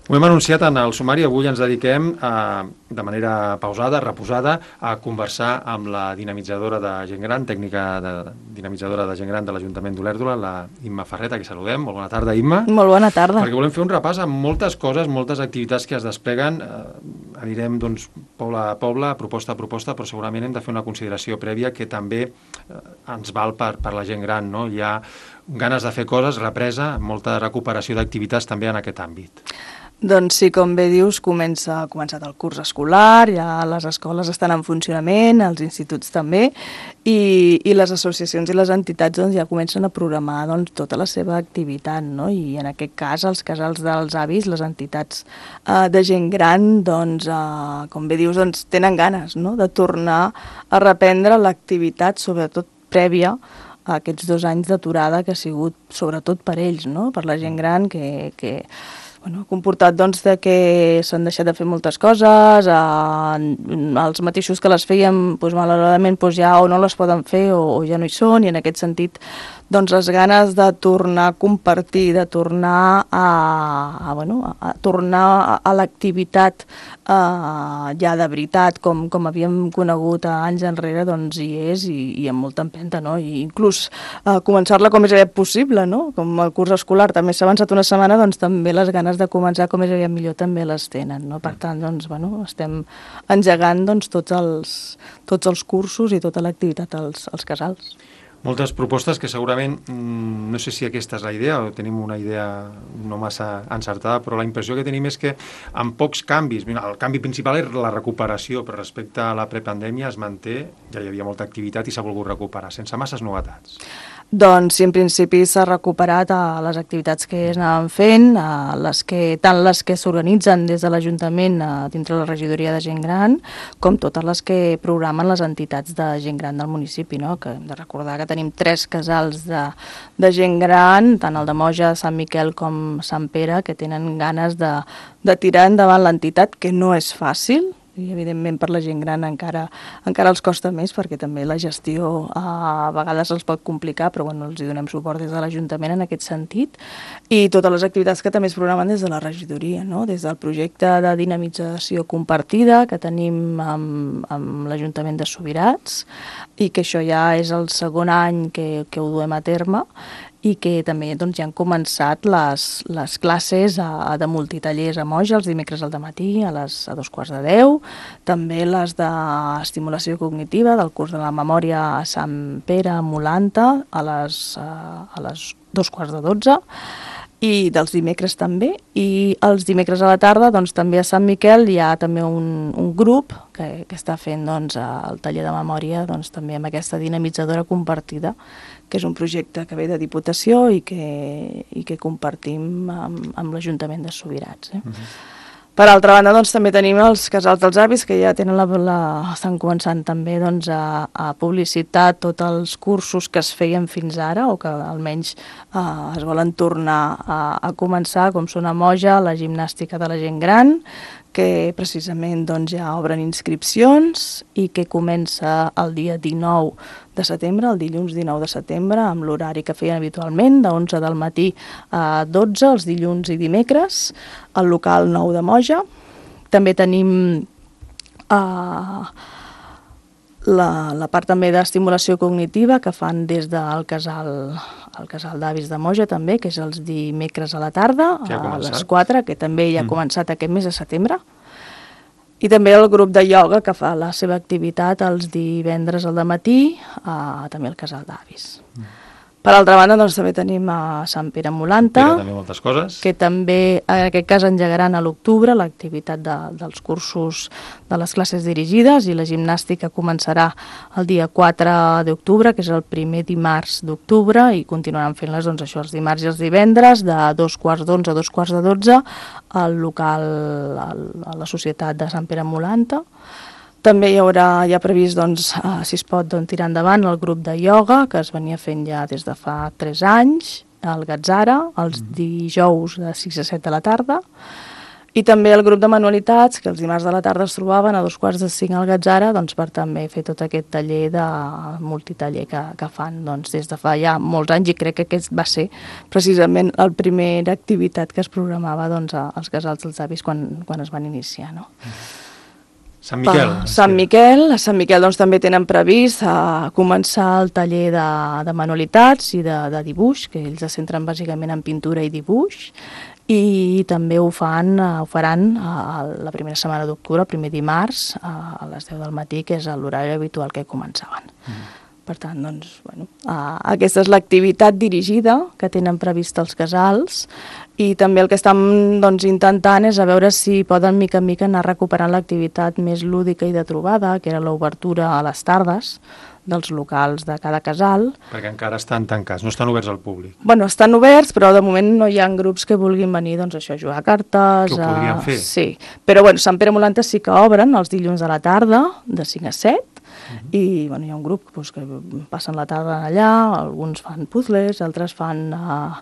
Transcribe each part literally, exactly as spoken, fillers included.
Ho hem anunciat en el sumari, avui ens dediquem a, de manera pausada, reposada, a conversar amb la dinamitzadora de gent gran, tècnica de, dinamitzadora de gent gran de l'Ajuntament d'Olèrdola, la Imma Ferret, que saludem. Molt bona tarda, Imma. Molt bona tarda. Perquè volem fer un repàs amb moltes coses, moltes activitats que es despleguen. Eh, anirem, doncs, poble a poble, proposta a proposta, però segurament hem de fer una consideració prèvia que també eh, ens val per, per la gent gran, no? Hi ha ganes de fer coses, represa, molta recuperació d'activitats també en aquest àmbit. Doncs sí, com bé dius, comença, ha començat el curs escolar, ja les escoles estan en funcionament, els instituts també, i, i les associacions i les entitats doncs, ja comencen a programar doncs, tota la seva activitat, no? I en aquest cas els casals dels avis, les entitats eh, de gent gran, doncs, eh, com bé dius, doncs, tenen ganes, no? De tornar a reprendre l'activitat, sobretot prèvia a aquests dos anys d'aturada que ha sigut sobretot per ells, no? Per la gent gran que... que Bueno, ha comportat doncs, de que s'han deixat de fer moltes coses, eh, els mateixos que les feien, doncs, malauradament doncs, ja o no les poden fer o, o ja no hi són, i en aquest sentit doncs, les ganes de tornar a compartir, de tornar a, a, bueno, a, a tornar a, a l'activitat eh, ja de veritat, com, com havíem conegut anys enrere, doncs hi és i, i amb molta empenta, no? I inclús eh, començar-la com més aviat possible, no? Com el curs escolar també s'ha avançat una setmana, doncs també les ganes de començar com més aviat millor també les tenen, no? Per tant, doncs, bueno, estem engegant doncs, tots, els, tots els cursos i tota l'activitat als, als casals. Moltes propostes que segurament, no sé si aquesta és la idea o tenim una idea no massa encertada, però la impressió que tenim és que amb pocs canvis, el canvi principal és la recuperació, però respecte a la prepandèmia es manté, ja hi havia molta activitat i s'ha volgut recuperar, sense masses novetats. Doncs sí, en principi s'ha recuperat a les activitats que es anaven fent, a les que, tant les que s'organitzen des de l'Ajuntament dintre la regidoria de gent gran, com totes les que programen les entitats de gent gran del municipi, no? Que hem de recordar que tenim tres casals de, de gent gran, tant el de Moja, Sant Miquel com Sant Pere, que tenen ganes de, de tirar endavant l'entitat, que no és fàcil, i evidentment per la gent gran encara, encara els costa més perquè també la gestió a vegades els pot complicar, però bueno, els hi donem suport des de l'Ajuntament en aquest sentit, i totes les activitats que també es programen des de la regidoria, no? Des del projecte de dinamització compartida que tenim amb, amb l'Ajuntament de Subirats, i que això ja és el segon any que, que ho duem a terme, i que també doncs, ja han començat les, les classes a, de multitallers a Moja els dimecres al dematí a, les, a dos quarts de deu, també les d'estimulació cognitiva del curs de la memòria a Sant Pere a Molanta a les, a, a les dos quarts de dotze, i dels dimecres també, i els dimecres a la tarda doncs, també a Sant Miquel hi ha també un, un grup que, que està fent doncs, el taller de memòria doncs, també amb aquesta dinamitzadora compartida, que és un projecte que ve de Diputació i que, i que compartim amb, amb l'Ajuntament de Subirats. Eh? Uh-huh. Per altra banda, doncs, també tenim els casals dels avis, que ja tenen la, la, estan començant també doncs, a, a publicitar tots els cursos que es feien fins ara, o que almenys eh, es volen tornar a, a començar, com són a Moja, la gimnàstica de la gent gran, que precisament doncs, ja obren inscripcions i que comença el dia dinou de setembre, el dilluns dinou de setembre, amb l'horari que feien habitualment, de onze del matí a dotze, els dilluns i dimecres, al local nou de Moja. També tenim eh, la, la part també d'estimulació cognitiva que fan des del casal, el casal d'avis de Moja també, que és els dimecres a la tarda, ja a les quatre, que també ja ha començat aquest mes de setembre. I també el grup de ioga que fa la seva activitat els divendres al dematí, eh, també al casal d'avis. Mm. Per altra banda, doncs, també tenim a Sant Pere Molanta, també moltes coses, que també en aquest cas engegaran a l'octubre l'activitat de, dels cursos de les classes dirigides, i la gimnàstica començarà el dia quatre d'octubre, que és el primer dimarts d'octubre, i continuaran fent-les doncs, això, els dimarts i els divendres, de dos quarts d'onze a dos quarts de dotze, al local, a la Societat de Sant Pere Molanta. També hi haurà ja previst, doncs, eh, si es pot doncs, tirar endavant el grup de ioga, que es venia fent ja des de fa tres anys, al Gatzara, els dijous de sis a set de la tarda, I també el grup de manualitats, que els dimarts de la tarda es trobaven a dos quarts de cinc al Gatzara, doncs per també fer tot aquest taller de multitaller que, que fan doncs, des de fa ja molts anys, i crec que aquest va ser precisament la primera activitat que es programava doncs, als casals dels avis quan, quan es van iniciar. No? Sant Miquel. Pa, Sant Miquel. A Sant Miquel doncs, també tenen previst a començar el taller de, de manualitats i de, de dibuix, que ells es centren bàsicament en pintura i dibuix, i també ho, fan, ho faran a la primera setmana d'octubre, el primer dimarts, a les deu del matí, que és l'horari habitual que començaven. Mm. Per tant, doncs, bueno, aquesta és l'activitat dirigida que tenen previst els casals, i també el que estan doncs, intentant és a veure si poden mica en mica anar recuperant l'activitat més lúdica i de trobada, que era l'obertura a les tardes dels locals de cada casal. Perquè encara estan tancats, no estan oberts al públic. Bueno, estan oberts, però de moment no hi ha grups que vulguin venir, doncs això, a jugar a cartes. Que ho podrien a... fer. Sí, però bueno, Sant Pere Molanta sí que obren els dilluns a la tarda, de cinc a set, uh-huh. I bueno, hi ha un grup doncs, que passen la tarda allà, alguns fan puzzles, altres fan uh,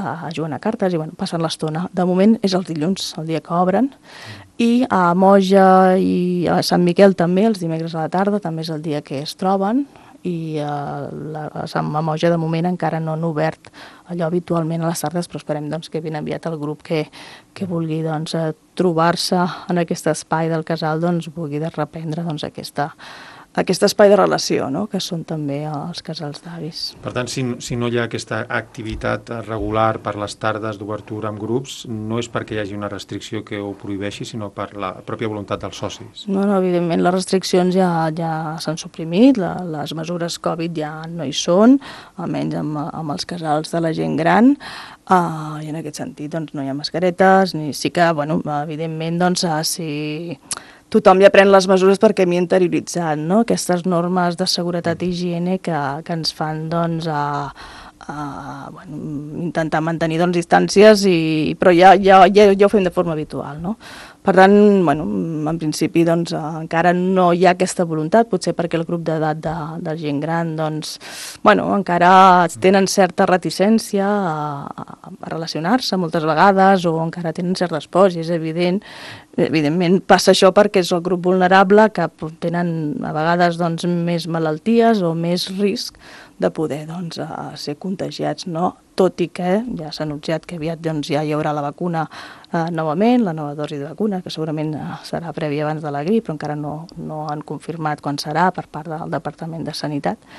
uh, jugant a cartes, i bueno, passen l'estona. De moment és els dilluns, el dia que obren, uh-huh. I a Moja i a Sant Miquel també, els dimecres a la tarda, també és el dia que es troben, i a, la, a Sant Moja de moment encara no han obert allò habitualment a les tardes, però esperem doncs, que ben aviat el grup que, que vulgui doncs, trobar-se en aquest espai del casal doncs, vulgui de reprendre doncs, aquesta, aquest espai de relació, no? Que són també els casals d'avis. Per tant, si, si no hi ha aquesta activitat regular per les tardes d'obertura amb grups, no és perquè hi hagi una restricció que ho prohibeixi, sinó per la pròpia voluntat dels socis. No, no, evidentment les restriccions ja, ja s'han suprimit, la, les mesures Covid ja no hi són, almenys amb, amb els casals de la gent gran, uh, i en aquest sentit doncs, no hi ha mascaretes, ni sí que, bueno, evidentment, doncs, uh, si... tothom ja pren les mesures perquè m'hi he interioritzat, no? Aquestes normes de seguretat i higiene que, que ens fan doncs, a, a bueno, intentar mantenir doncs, distàncies, i, però ja, ja, ja, ja ho fem de forma habitual. No? Per tant, bueno, en principi doncs, encara no hi ha aquesta voluntat, potser perquè el grup d'edat de, de gent gran doncs, bueno, encara tenen certa reticència a, a relacionar-se moltes vegades, o encara tenen certes pors, i és evident. Evidentment passa això perquè és el grup vulnerable, que tenen a vegades doncs, més malalties o més risc de poder doncs, ser contagiats, no? Tot i que ja s'ha anunciat que aviat doncs, ja hi haurà la vacuna eh, novament, la nova dosi de vacuna, que segurament serà prèvia abans de la grip, però encara no, no han confirmat quan serà per part del Departament de Sanitat,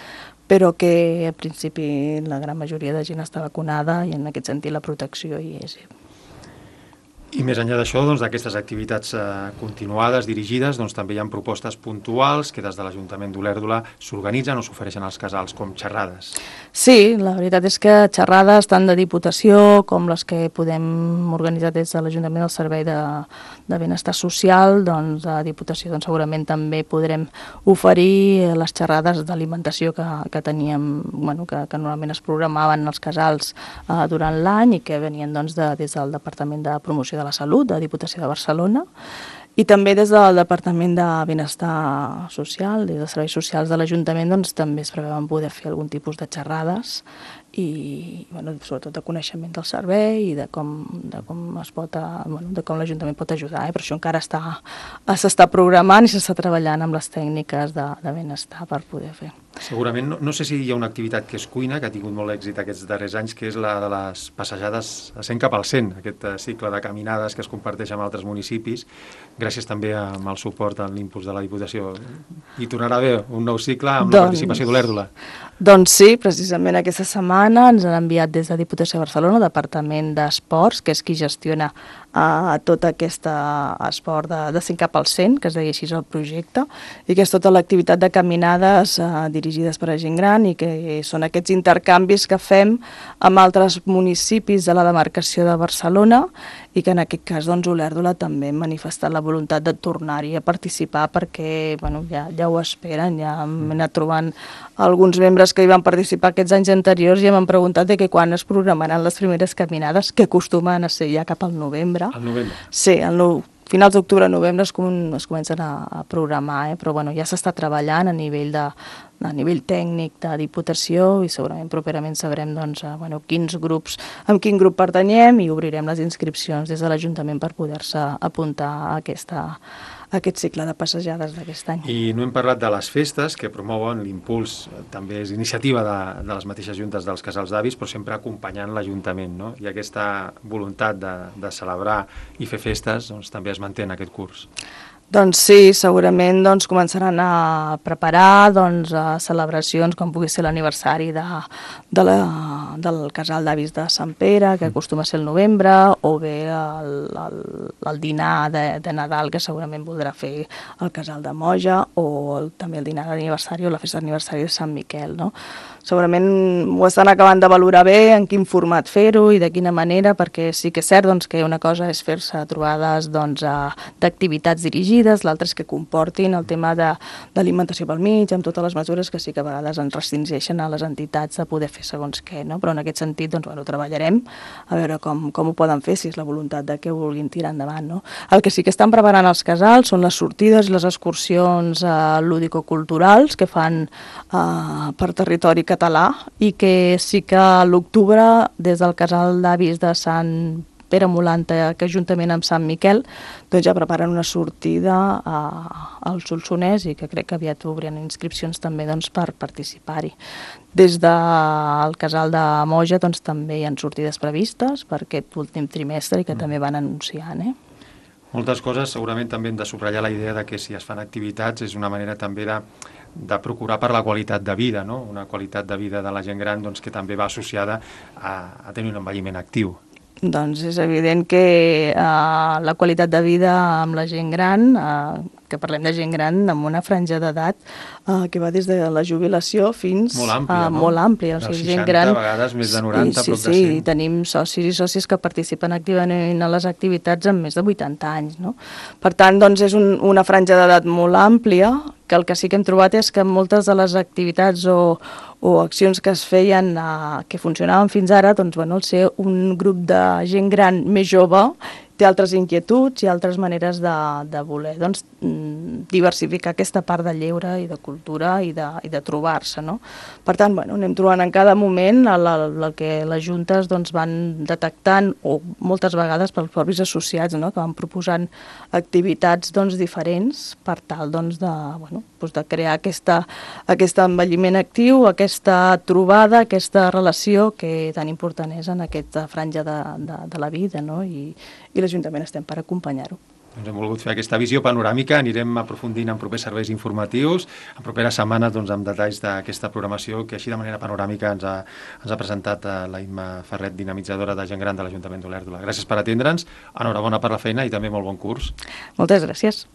però que al principi la gran majoria de gent està vacunada, i en aquest sentit la protecció hi és. I més enllà d'això, doncs, d'aquestes activitats eh, continuades, dirigides, doncs, també hi ha propostes puntuals que des de l'Ajuntament d'Olèrdola s'organitzen o s'ofereixen als casals, com xerrades. Sí, la veritat és que xerrades tant de Diputació com les que podem organitzar des de l'Ajuntament del Servei de, de Benestar Social, doncs a Diputació doncs, segurament també podrem oferir les xerrades d'alimentació que, que teníem, bueno, que, que normalment es programaven als casals eh, durant l'any, i que venien doncs, de, des del Departament de Promoció de la Salut, de Diputació de Barcelona, i també des del Departament de Benestar Social, des dels Serveis Socials de l'Ajuntament, doncs també es preveuen poder fer algun tipus de xerrades, i bueno, sobretot de coneixement del servei i de com, de com es pot, bueno, de com l'Ajuntament pot ajudar, eh? Per això encara està, s'està programant i s'està treballant amb les tècniques de, de benestar per poder fer. Segurament, no, no sé si hi ha una activitat que és cuina, que ha tingut molt èxit aquests darrers anys, que és la de les passejades a cent cap al cent, aquest cicle de caminades que es comparteix amb altres municipis, gràcies també amb el suport, en l'impuls de la Diputació. I tornarà a haver un nou cicle amb doncs, la participació d'Olèrdola. Doncs sí, precisament aquesta setmana ens han enviat des de Diputació de Barcelona, Departament d'Esports, que és qui gestiona uh, tot aquest esport de, de cent cap al cent, que es deia així el projecte, i que és tota l'activitat de caminades uh, dirigides per a gent gran, i que són aquests intercanvis que fem amb altres municipis de la demarcació de Barcelona, i que en aquest cas doncs, Olèrdola també ha manifestat la voluntat de tornar-hi a participar, perquè bueno, ja, ja ho esperen, ja hem anat trobant alguns membres que hi van participar aquests anys anteriors i m'han preguntat de que quan es programaran les primeres caminades, que acostumen a ser ja cap al novembre. Al novembre? Sí, al no, finals d'octubre, novembre es, com, es comencen a, a programar, eh? Però bueno, ja s'està treballant a nivell de, a nivell tècnic de Diputació i segurament properament sabrem doncs, bueno, quins grups, amb quin grup pertanyem i obrirem les inscripcions des de l'Ajuntament per poder-se apuntar a, aquesta, a aquest cicle de passejades d'aquest any. I no hem parlat de les festes que promouen l'impuls, també és iniciativa de, de les mateixes juntes dels casals d'avis, però sempre acompanyant l'Ajuntament, no? I aquesta voluntat de, de celebrar i fer festes doncs, també es manté en aquest curs. Doncs sí, segurament doncs, començaran a preparar doncs, a celebracions com pugui ser l'aniversari de, de la, del casal d'avis de Sant Pere, que acostuma a ser el novembre, o bé el, el, el dinar de, de Nadal, que segurament voldrà fer el casal de Moja, o el, també el dinar d'aniversari o la festa d'aniversari de Sant Miquel, no? Segurament ho estan acabant de valorar bé, en quin format fer-ho i de quina manera, perquè sí que és cert doncs, que una cosa és fer-se trobades doncs, d'activitats dirigides, l'altre és que comportin el tema d'alimentació pel mig, amb totes les mesures que sí que a vegades ens restringeixen a les entitats de poder fer segons què, no? Però en aquest sentit doncs, bueno, treballarem a veure com, com ho poden fer, si és la voluntat de que ho vulguin tirar endavant, no? El que sí que estan preparant els casals són les sortides i les excursions eh, lúdico-culturals que fan eh, per territori català i que sí que a l'octubre des del casal d'avis de Sant Pere Molanta, que juntament amb Sant Miquel doncs ja preparen una sortida a, al Solsonès i que crec que aviat obren inscripcions també doncs, per participar-hi. Des del casal de Moja doncs, també hi ha sortides previstes per aquest últim trimestre i que mm. també van anunciant. Eh? Moltes coses, segurament també hem de subratllar la idea de que si es fan activitats és una manera també de de procurar per la qualitat de vida, no? Una qualitat de vida de la gent gran doncs, que també va associada a, a tenir un envelliment actiu. Doncs és evident que eh, la qualitat de vida amb la gent gran, eh, que parlem de gent gran amb una franja d'edat eh, que va des de la jubilació fins molt àmplia, a no? molt àmplia. O sigui, seixanta, gent gran, a vegades més de noranta, sí, prop sí, de cent. Sí, i tenim socis i sòcies que participen activament a les activitats amb més de vuitanta anys. No? Per tant, doncs, és un, una franja d'edat molt àmplia, que el que sí que hem trobat és que moltes de les activitats o, o accions que es feien, eh, que funcionaven fins ara, doncs, bueno, al ser un grup de gent gran més jove, té altres inquietuds i altres maneres de, de voler doncs, diversificar aquesta part de lleure i de cultura i de, i de trobar-se. No? Per tant, bueno, anem trobant en cada moment el, el, el que les juntes doncs, van detectant, o moltes vegades pels propis associats, no? que van proposant activitats doncs, diferents per tal doncs, de, bueno, doncs, de crear aquesta, aquest envelliment actiu, aquesta trobada, aquesta relació que tan important és en aquesta franja de, de, de la vida, no? I, i l'Ajuntament estem per acompanyar-ho. Doncs hem volgut fer aquesta visió panoràmica, anirem aprofundint en propers serveis informatius, en properes setmanes doncs, amb detalls d'aquesta programació que així de manera panoràmica ens ha, ens ha presentat la Imma Ferret, dinamitzadora de gent gran de l'Ajuntament d'Olèrdola. Gràcies per atendre'ns, enhorabona per la feina i també molt bon curs. Moltes gràcies.